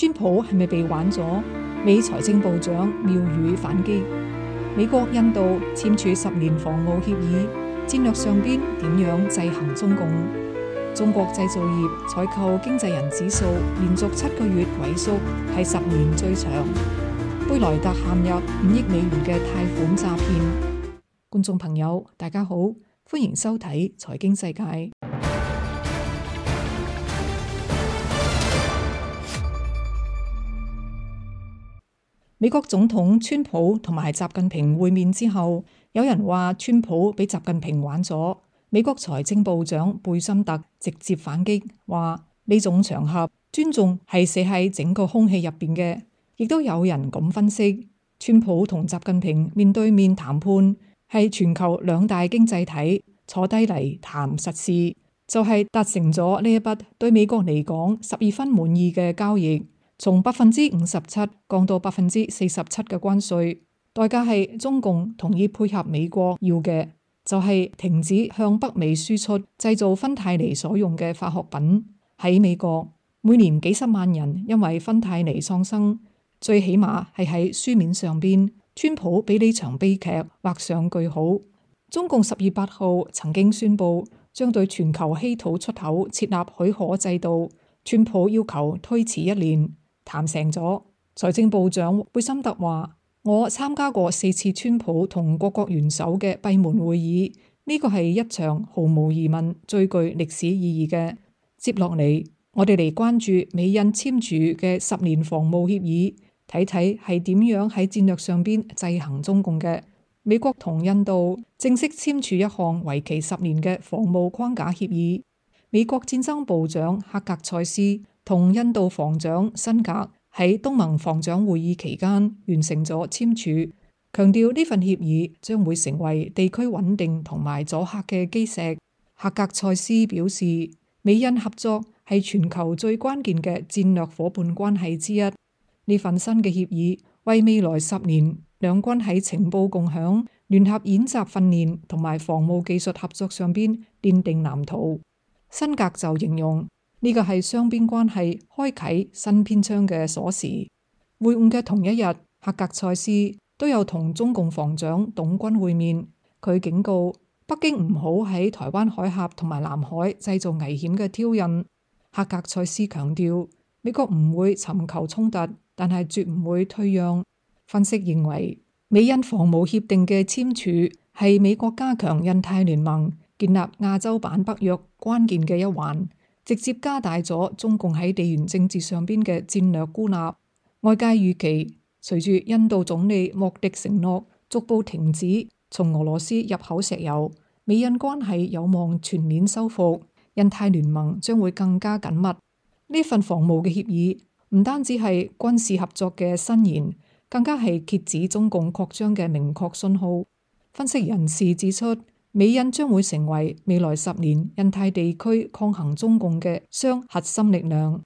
川普係咪被玩咗？美財政部長妙語反擊。美國印度簽署10年防務協議，戰略上邊點樣制衡中共？中國製造業採購經濟人指數連續7個月萎縮，係10年最長。貝萊特陷入5億美元嘅貸款詐騙。觀眾朋友，大家好，歡迎收睇財經世界。美國總統川普同埋習近平會面之後，有人話川普俾習近平玩咗。美國財政部長貝森特直接反擊，話呢種場合尊重係寫喺整個空氣入邊嘅。亦都有人咁分析，川普同習近平面對面談判係全球2大經濟體坐低嚟談實事，就係達成咗呢一筆對美國嚟講12分滿意嘅交易。從57%降到47%嘅關稅，代價係中共同意配合美國要嘅，就係停止向北美輸出製造芬太尼所用嘅化學品。喺美國，每年幾十萬人因為芬太尼喪生，最起碼係喺書面上邊，川普俾呢場悲劇畫上句號。中共10月8號曾經宣布將對全球稀土出口設立許可制度，川普要求推遲1年。談成咗，財政部長貝森特話：我參加過4次川普同各國元首嘅閉門會議，呢個係一場毫無疑問最具歷史意義嘅。接落嚟，我哋嚟關注美印簽署嘅10年防務協議，睇睇係點樣喺戰略上邊制衡中共嘅。美國同印度正式簽署一項為期10年嘅防務框架協議。美國戰爭部長克格塞斯同印度防長辛格喺東盟防長會議期間完成咗簽署，強調呢份協議將會成為地區穩定同埋阻嚇嘅基石。克格塞斯表示，美印合作係全球最關鍵嘅戰略夥伴關係之一。呢份新嘅協議為未來10年兩軍喺情報共享、聯合演習訓練同埋防務技術合作上邊奠定藍圖。辛格就形容呢個係雙邊關係開啟新篇章嘅鎖匙。會晤嘅同一日，克格塞斯都有同中共防長董軍會面。佢警告北京唔好喺台灣海峽同埋南海製造危險嘅挑釁。克格塞斯強調，美國唔會尋求衝突，但係絕唔會退讓。分析認為，美印防務協定嘅簽署係美國加強印太聯盟、建立亞洲版北約關鍵嘅一環，直接加大咗中共喺地緣政治上邊嘅戰略孤立。外界預期，隨住印度總理莫迪承諾逐步停止從俄羅斯入口石油，美印關係有望全面修復，印太聯盟將會更加緊密。呢份防務嘅協議唔單止係軍事合作嘅伸延，更加係遏止中共擴張嘅明確信號。分析人士指出，美印將會成為未來10年印太地區抗衡中共嘅雙核心力量。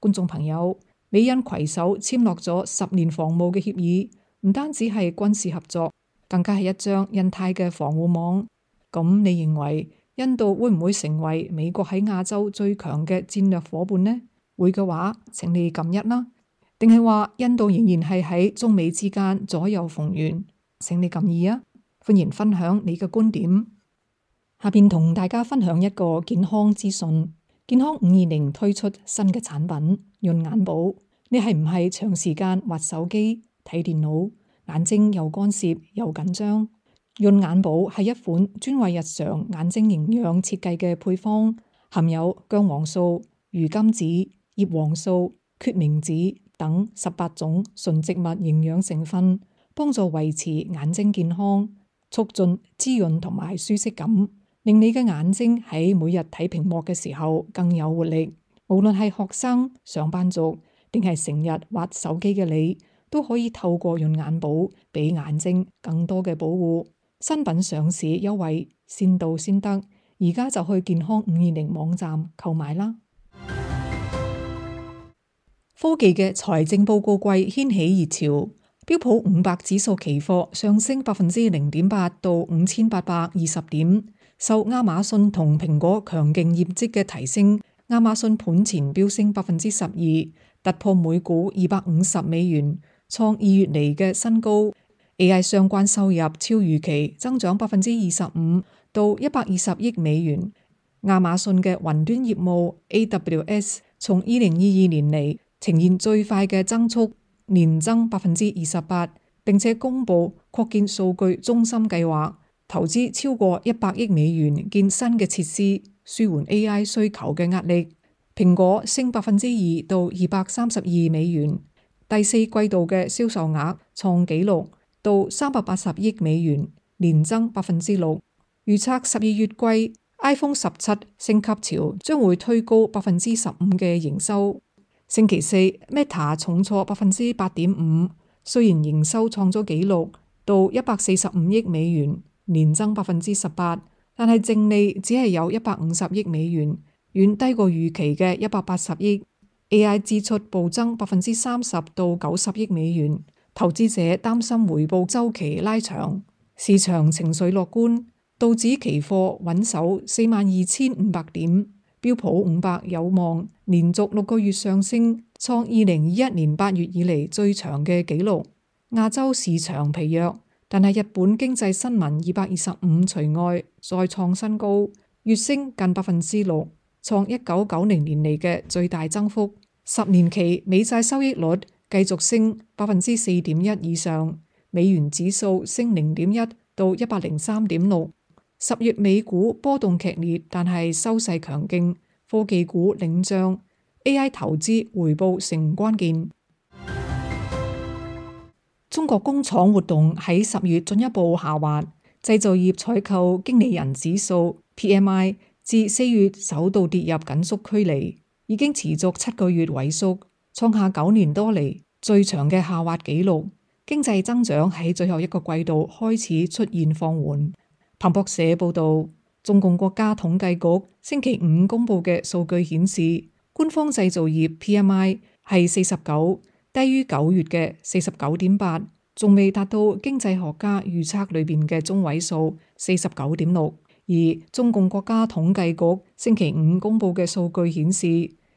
觀眾朋友，美印攜手簽落咗10年防務嘅協議，唔單止係軍事合作，更加係一張印太嘅防護網。咁你認為印度會唔會成為美國喺亞洲最強嘅戰略夥伴呢？會嘅話，請你撳1啦。定係話印度仍然係喺中美之間左右逢源？請你撳2啊。歡迎分享你嘅觀點。下邊同大家分享一個健康資訊。健康520推出新嘅產品潤眼寶。你係唔係長時間滑手機、睇電腦，眼睛又乾澀又緊張？潤眼寶係一款專為日常眼睛營養設計嘅配方，含有薑黃素、魚甘子、葉黃素、決明子等18種純植物營養成分，幫助維持眼睛健康，促進滋潤同埋舒適感，令你嘅眼睛喺每日睇屏幕嘅時候更有活力。無論係學生、上班族定係成日滑手機嘅你，都可以透過潤眼寶俾眼睛更多嘅保護。新品上市優惠先到先得，而家就去健康520網站購買啦。科技嘅財政報告季掀起熱潮，標普500指數期貨上升0.8%到5820點，受亞馬遜同蘋果強勁業績嘅提升，亞馬遜盤前飆升12%，突破每股$250，創2月嚟嘅新高。AI 相關收入超預期增長25%到$120億。亞馬遜嘅雲端業務 AWS 從2022年嚟呈現最快嘅增速，年增28%，並且公布擴建數據中心計劃，投資超過$100億建新嘅設施，舒緩 AI 需求嘅壓力。蘋果升2%到$232，第四季度嘅銷售額創紀錄到$380億，年增6%。預測12月季 iPhone 17升級潮將會推高15%嘅營收。星期四 Meta 重挫8.5%，雖然營收創咗紀錄到$145億，年增18%，但係淨利只係有$150億，遠低過預期嘅$180億。AI 支出暴增30%到$90億，投資者擔心回報週期拉長，市場情緒樂觀。道指期貨穩守42,500點，標普500有望連續6個月上升，創2021年8月以嚟最長嘅紀錄。亞洲市場疲弱，但係日本經濟新聞225除外再創新高，月升近6%，創1990年嚟嘅最大增幅。10年期美債收益率繼續升4.1%以上，美元指數升0.1到103.6。10月美股波動劇烈，但係收勢強勁，科技股領漲， AI 投資回報成關鍵。中國工廠活動喺10月進一步下滑，製造業採購經理人指數 PMI 自4月首度跌入緊縮區嚟，已經持續7個月萎縮，創下9年多嚟最長嘅下滑紀錄。經濟增長喺最後一個季度開始出現放緩。彭博社報道，中共國家統計局星期五公布嘅數據顯示，官方製造業 PMI 係49，低於9月嘅49.8，仲未達到經濟學家預測裏邊嘅中位數49.6。而中共國家統計局星期五公布嘅數據顯示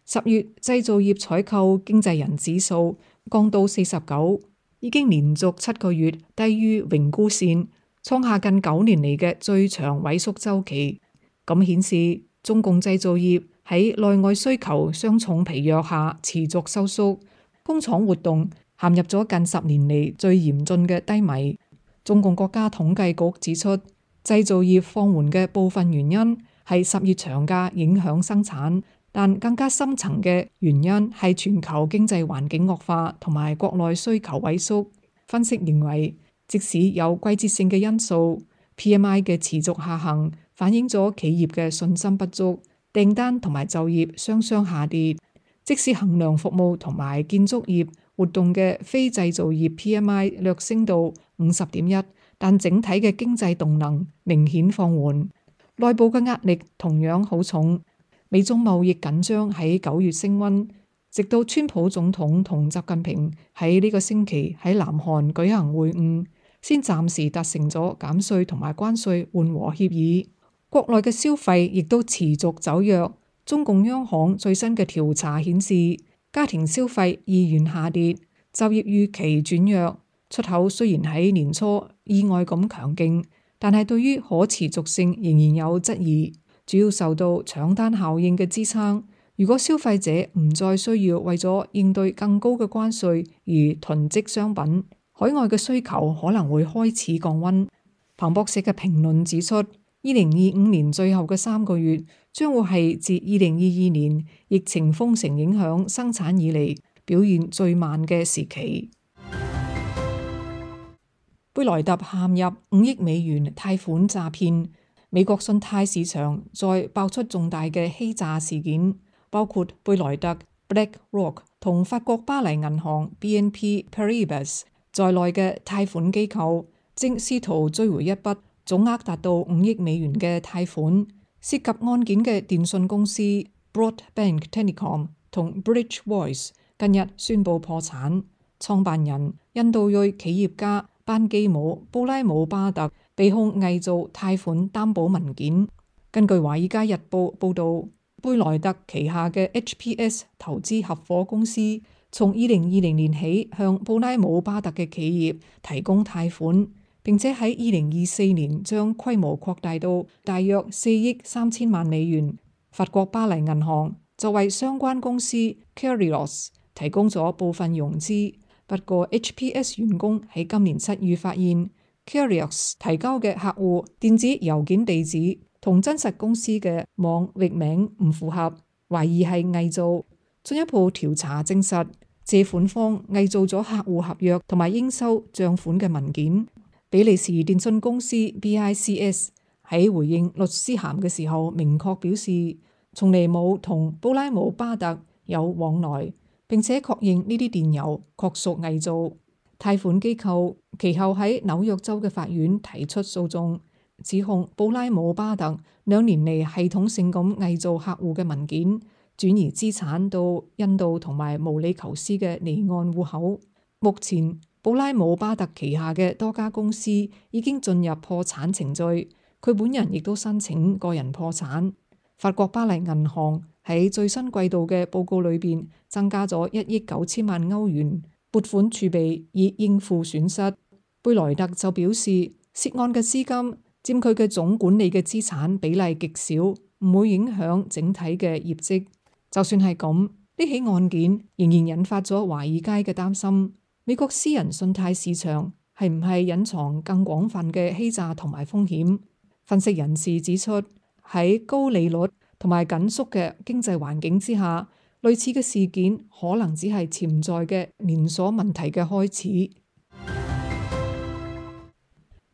，10月製造業採購經濟人指數降到49，已經連續7個月低於榮枯線，創下近9年嚟嘅最長萎縮週期。咁顯示中共製造業喺內外需求雙重疲弱下持續收縮，工廠活動陷入咗近10年嚟最嚴峻嘅低迷。中共國家統計局指出，製造業放緩嘅部分原因係10月長假影響生產，但更加深層嘅原因係全球經濟環境惡化同埋國內需求萎縮。分析認為，即使有季節性嘅因素， PMI 嘅持續下行反映咗企業嘅信心不足，訂單同埋就業雙雙下跌。即使衡量服務同埋建築業活動嘅非製造業 PMI 略升到50.1，但整體嘅經濟動能明顯放緩，內部嘅壓力同樣好重。美中貿易緊張喺9月升溫，直到川普總統同習近平喺呢個星期喺南韓舉行會晤，先暫時達成咗減稅同埋關稅緩和協議。國內嘅消費亦都持續走弱。中共央行最新嘅調查顯示，家庭消費意願下跌，就業預期轉弱。出口雖然喺年初意外咁強勁，但係對於可持續性仍然有質疑，主要受到搶單效應嘅支撐。如果消費者唔再需要為咗應對更高嘅關稅而囤積商品，海外嘅需求可能會開始降溫。彭博社嘅評論指出，2025年最後嘅3個月將會係自2022年疫情封城影響生產以嚟表現最慢嘅時期。貝萊特陷入5億美元貸款詐騙，美國信貸市場再爆出重大嘅欺詐事件，包括貝萊特 BlackRock 同法國巴黎銀行 BNP Paribas 在內嘅貸款機構正試圖追回一筆總額達到5億美元嘅貸款。涉及案件嘅電信公司 Broadbank Telecom 同 Bridge Voice 近日宣布破產，創辦人印度裔企業家班基姆·布拉姆巴特被控偽造貸款擔保文件。根據《華爾街日報》報導，貝萊特旗下嘅 HPS 投資合夥公司從2020年起向布拉姆巴特嘅企業提供貸款，並且喺2024年將規模擴大到大約4億3千萬美元。法國巴黎銀行就為相關公司 Kerios 提供咗部分融資，不過 HPS 員工喺今年7月發現 Kerios 提交嘅客戶電子郵件地址同真實公司嘅網域名唔符合，懷疑係偽造。進一步調查證實，借款方偽造咗客戶合約同埋應收賬款嘅文件。比利時電信公司 BICS 喺回應律師函嘅時候，明確表示從嚟冇同布拉姆巴特有往來，並且確認呢啲電郵確屬偽造。貸款機構其後喺紐約州嘅法院提出訴訟，指控布拉姆巴特2年嚟系統性咁偽造客戶嘅文件，轉移資產到印度同埋毛里求斯嘅離岸戶口。目前布拉姆巴特旗下嘅多家公司已經進入破產程序，佢本人亦都申請個人破產。法國巴黎銀行喺最新季度嘅報告裏邊增加咗1億9千萬歐元撥款儲備以應付損失。貝萊特就表示，涉案嘅資金佔佢嘅總管理嘅資產比例極少，唔會影響整體嘅業績。就算係咁，呢起案件仍然引發咗華爾街嘅擔心。美國私人信貸市場係唔係隱藏更廣泛嘅欺詐同埋風險？分析人士指出，喺高利率同埋緊縮嘅經濟環境之下，類似嘅事件可能只係潛在嘅連鎖問題嘅開始。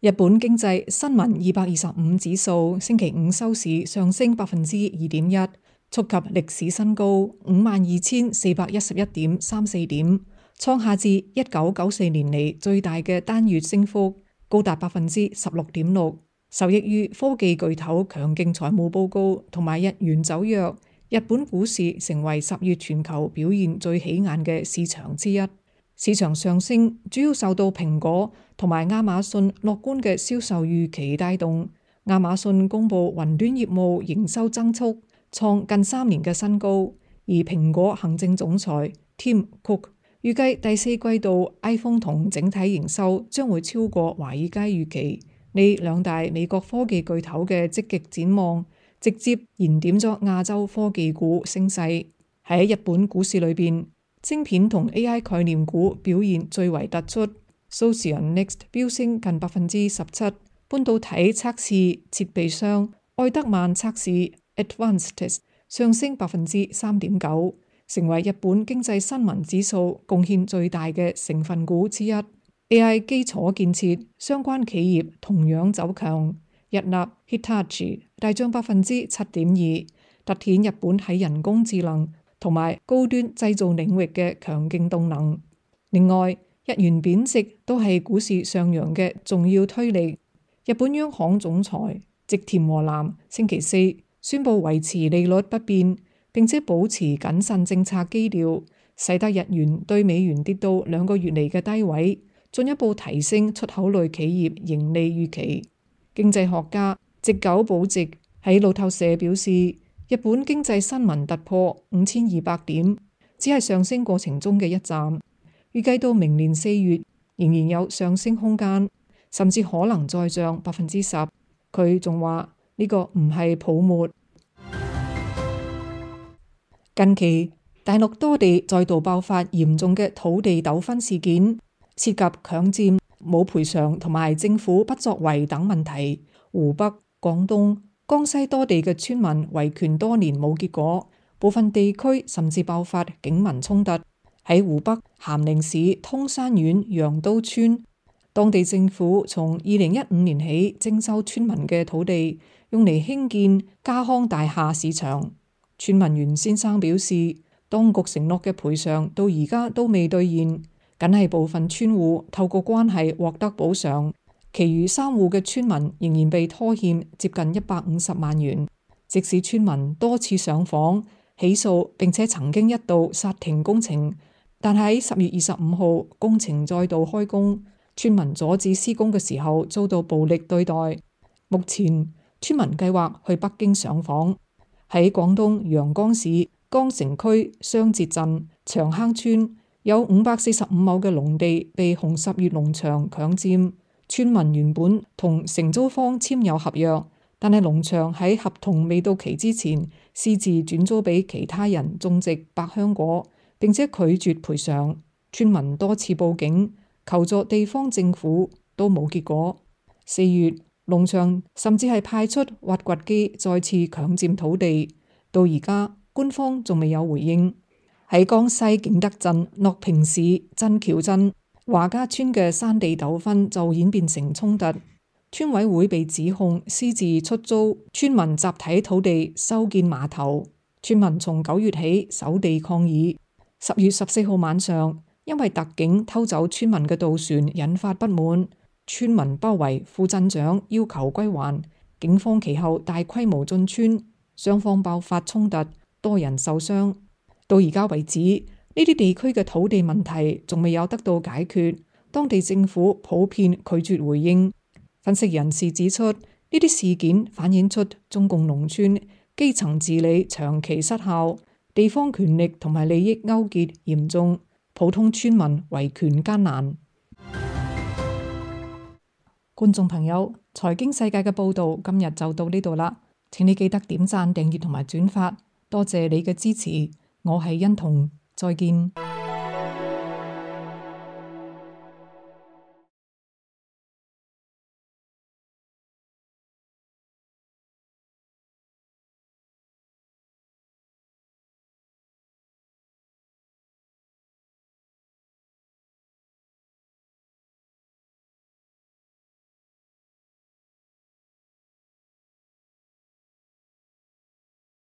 日本經濟新聞225指數星期五收市上升2.1%。觸及歷史新高52,411.34點，創下自1994年嚟最大嘅單月升幅，高達16.6%。受益於科技巨頭強勁財務報告同埋日元走弱，日本股市成為10月全球表現最起眼嘅市場之一。市場上升主要受到蘋果同埋亞馬遜樂觀嘅銷售預期帶動。亞馬遜公佈雲端業務營收增速創近3年嘅新高，而蘋果行政總裁 Tim Cook 預計第4季度 iPhone 同整體營收將會超過華爾街預期。呢兩大美國科技巨頭嘅積極展望，直接燃點咗亞洲科技股升勢。喺日本股市裏邊，晶片同 AI 概念股表現最為突出。Socionext 飆升近17%，半導體測試設備商愛德曼測試Advanced 上升3.9%，成為日本經濟新聞指數貢獻最大嘅成分股之一。AI 基礎建設相關企業同樣走強，日立 Hitachi 大漲7.2%，凸顯日本喺人工智能同埋高端製造領域嘅強勁動能。另外，日元貶值都係股市上揚嘅重要推力。日本央行總裁植田和男星期四宣布維持利率不變，並且保持謹慎政策基調，使得日元對美元跌到2個月嚟嘅低位，進一步提升出口類企業盈利預期。經濟學家植久保直喺路透社表示，日本經濟新聞突破5200點，只係上升過程中嘅一站，預計到明年4月仍然有上升空間，甚至可能再漲10%。佢仲話呢個唔係泡沫。近期大陸多地再度爆發嚴重嘅土地糾紛事件，涉及強佔、冇賠償同埋政府不作為等問題。湖北、廣東、江西多地嘅村民維權多年冇結果，部分地區甚至爆發警民衝突。喺湖北咸寧市通山縣楊都村，當地政府從2015年起徵收村民嘅土地，用嚟興建家康大廈市場。村民袁先生表示，當局承諾嘅賠償到而家都未兌現，僅係部分村戶透過關係獲得補償，其餘3戶嘅村民仍然被拖欠接近150萬元。即使村民多次上訪起訴，並且曾經一度剎停工程，但喺10月25號工程再度開工，村民阻止施工嘅時候遭到暴力對待。目前村民計劃去北京上訪。喺喺廣東陽江市江城區雙節鎮長坑村，有545畝嘅農地被紅十月農場強佔。村民原本同承租方簽有合約，但係農場喺合同未到期之前，私自轉租俾其他人種植百香果，並且拒絕賠償。村民多次報警求助地方政府，都冇結果。4月，農場甚至係派出挖掘機再次強佔土地，到而家官方仲未有回應。喺江西景德鎮樂平市鎮橋鎮華家村嘅山地糾紛就演變成衝突，村委會被指控私自出租村民集體土地修建碼頭，村民從9月起守地抗議。10月14號晚上，因為特警偷走村民嘅渡船引發不滿，村民包圍副鎮長要求歸還，警方其後大規模進村，雙方爆發衝突，多人受傷。到而家為止，呢啲地區嘅土地問題仲未有得到解決，當地政府普遍拒絕回應。分析人士指出，呢啲事件反映出中共農村基層治理長期失效，地方權力同埋利益勾結嚴重，普通村民維權艱難。觀眾朋友，財經世界嘅報道今日就到呢度啦，請你記得點讚、訂閱同埋轉發，多謝你嘅支持。我係欣彤，再見。